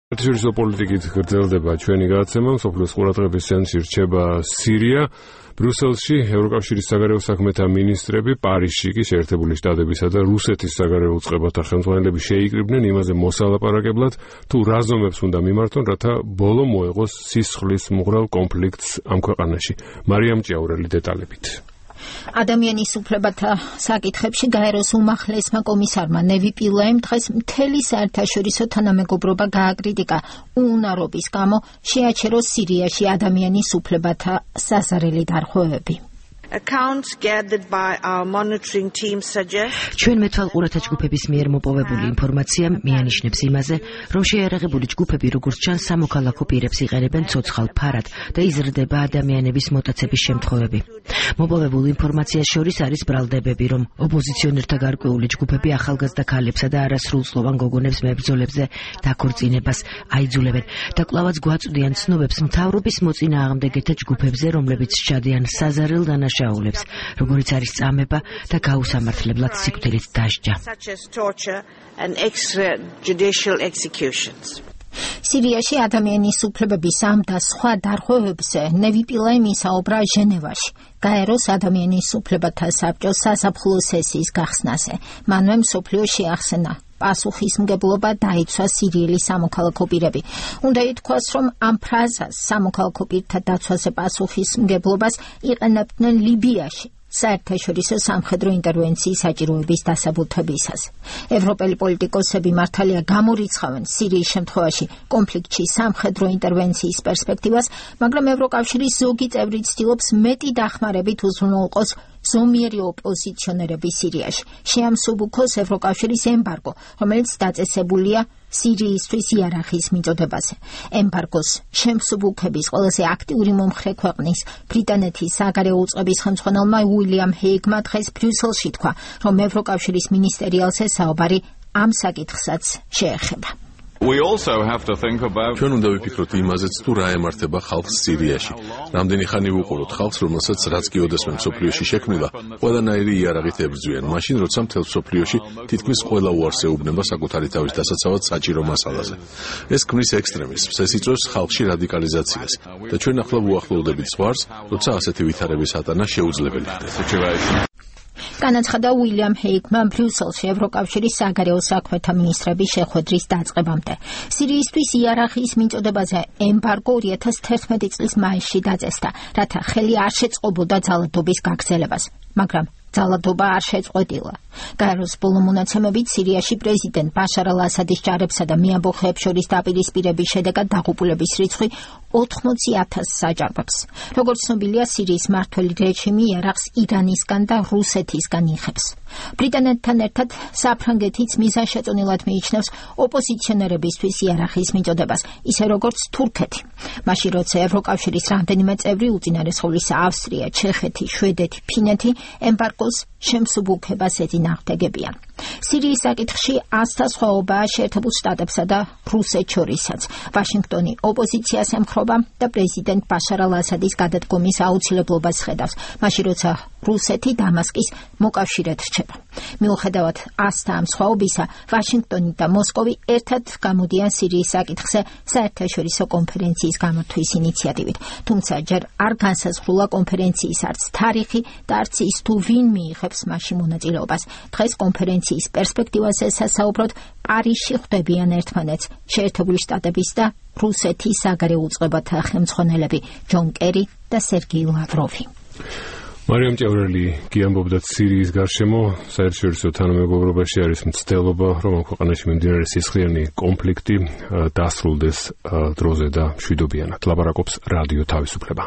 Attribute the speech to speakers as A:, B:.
A: საერთაშორისო პოლიტიკით გრძელდება ჩვენი გადაცემა, მსოფლიოს ყურადღების ცენტრში რჩება სირია. ბრიუსელში ევროკავშირის საგარეო საქმეთა მინისტრები, პარიზში კი შეერთებული შტატებისა და რუსეთის საგარეო უწყებათა ხელმძღვანელები შეიკრიბნენ იმაზე მოსალაპარაკებლად, თუ რა ზომებს უნდა მიმართონ, რათა ბოლო მოეღოს სისხლის მუღრალ კონფლიქტს ამ ქვეყანაში. მარიამ ჭიაურელი დეტალებით.
B: ადამიანის უფლებათა საკითხებში გაეროს უმაღლესმა კომისარმა ნევი პილეიმ დღეს მთელი საერთაშორისო თანამეგობრობა გააკრიტიკა უუნარობის გამო შეაჩეროს სირიაში ადამიანის უფლებათა საზარელი დარღვევები.
C: ჩვენ მეთვალყურათა ჯგუფების მიერ მოპოვებული ინფორმაცია მიანიშნებს იმაზე, რომ შეიარაღებული ჯგუფები როგორც ჩანს სამოქალაქო პირებს იყენებენ ცოცხალ ფარად და იზრდება ადამიანების მოტაცების შემთხვევები. მოპოვებულ ინფორმაციას შორის არის ბრალდებები, რომ ოპოზიციონერთა გარკვეული ჯგუფები ახალგაზრდა ქალებსა და არასრულწლოვან გოგონებს მებრძოლებზე დაქორწინებას აიძულებენ და კვლავაც გვაწვდიან ცნობებს მთავრობის მოწინააღმდეგეთა ჯგუფებზე, რომლებიც სჩადიან საზარელ დანაშაულებს, როგორიც არის წამება და გაუსამართლებლად სიკვდილით დასჯა.
B: სირიაში ადამიანის უფლებების ამ და სხვა დარღვევებზე ნევი პილეიმ ისაუბრა ჟენევაში, გაეროს ადამიანის უფლებათა საბჭოს საზაფხულო სესიის გახსნაზე. მანვე მსოფლიო შეახსენა პასუხისმგებლობა დაიცვა სირიელი სამოქალაქო პირები. უნდა ითქვას, რომ ამ ფრაზას სამოქალაქო პირთა დაცვაზე პასუხისმგებლობას იყენებდნენ ლიბიაში საერთაშორისო სამხედრო ინტერვენციის საჭიროების დასაბუთებისას. ევროპელი პოლიტიკოსები მართალია გამორიცხავენ სირიის შემთხვევაში კონფლიქტში სამხედრო ინტერვენციის პერსპექტივას, მაგრამ ევროკავშირის ზოგი წევრი ცდილობს მეტი დახმარებით უზრუნველყოს ზომიერი ოპოზიციონერები სირიაში. შეამსუბუქოს ევროკავშირის ემბარგო, რომელიც დაწესებულია სირიისთვის იარაღის მიწოდებაზე. ემბარგოს შემსუბუქების ყველაზე აქტიური მომხრე ქვეყნის ბრიტანეთის საგარეო უწყების ხელმძღვანელმა უილიამ ჰეიგმა დღეს ბრიუსელში თქვა, რომ ევროკავშირის მინისტერიალზე საუბარი ამ საკითხსაც შეეხება.
D: ჩვენ უნდა ვიფიქროთ იმაზეც, თუ რა ემართება ხალხს სირიაში. რამდენი ხანი ვუყუროთ ხალხს, რომელსაც რაც კი ოდესმე მსოფლიოში შექმნილა, ყველანაირი იარაღით ებრძვიან, მაშინ როცა მთელ მსოფლიოში თითქმის ყველა უარს ეუბნება საკუთარი თავის დასაცავად საჭირო მასალაზე. ეს ქმნის ექსტრემიზმს, ეს იწვევს ხალხში რადიკალიზაციას და ჩვენ ახლა ვუახლოვდებით ზღვარს, როცა ასეთი ვითარების ატანა შეუძლებელი ხდება.
B: განაცხადა უილიამ ჰეიგმა ბრიუსელში ევროკავშირის საგარეო საქმეთა მინისტრების შეხვედრის დაწყებამდე. სირიისთვის იარაღის მიწოდებაზე ემბარგო 2011 წლის მაისში დაწესდა, რათა ხელი არ შეწყობოდა ძალადობის გაგრძელებას, მაგრამ ძალადობა არ შეწყვეტილა. გაეროს ბოლო მონაცემებით სირიაში პრეზიდენტ ბაშარ ალ-ასადის ჯარებსა და მეამბოხეებს შორის დაპირისპირების შედეგად დაღუპულების რიცხვი 80,000-ს აჭარბებს. როგორც ცნობილია, სირიის მმართველი რეჟიმი იარაღს ირანისგან და რუსეთისგან იღებს. ბრიტანეთთან ერთად საფრანგეთიც მიზანშეწონილად მიიჩნევს ოპოზიციონერებისთვის იარაღის მიწოდებას, ისე როგორც თურქეთი. მაშინ როცა ევროკავშირის რამდენიმე წევრი, უწინარესხოვლისა ავსტრია, ჩეხეთი, შვედეთი, ფინეთი ემბარგოს შემსუბუქებას ეწინააღმდეგებიან. სირიის საკითხში ასთასხვაობაა შეერთებულ შტატებსა და რუსეთს შორისაც. ვაშინგტონი ოპოზიციას ემხრობა და პრეზიდენტ ბაშარ ალ-ასადის გადადგომის აუცილებლობას ხედავს, მაშინ როცა რუსეთი დამასკის მოკავშირედ რჩება. მიუხედავად ასთა ამ სხვაობისა, ვაშინგტონი და მოსკოვი ერთად გამოდიან სირიის საკითხზე საერთაშორისო კონფერენციის გამართვის ინიციატივით. თუმცა ჯერ არ განსაზღვრულა კონფერენციის არც თარიღი და არც ის თუ ვინ მიიღებს მასში მონაწილეობას. დღეს კონფერენციის პერსპექტივაზე სასაუბროდ პარიზში ხვდებიან ერთმანეთს შეერთებული შტატების და რუსეთის საგარეო უწყებათა ხელმძღვანელები ჯონ კერი და სერგეი ლავროვი.
A: მარიამ ჭიაურელი გიამბობდა სირიის გარშემო საერთაშორისო თანამეგობრობაში არის მცდელობა, რომ ამ ქვეყანაში მიმდინარე სისხლიანი კონფლიქტი დასრულდეს დროზე და მშვიდობიანად. ლაპარაკობს რადიო თავისუფლება.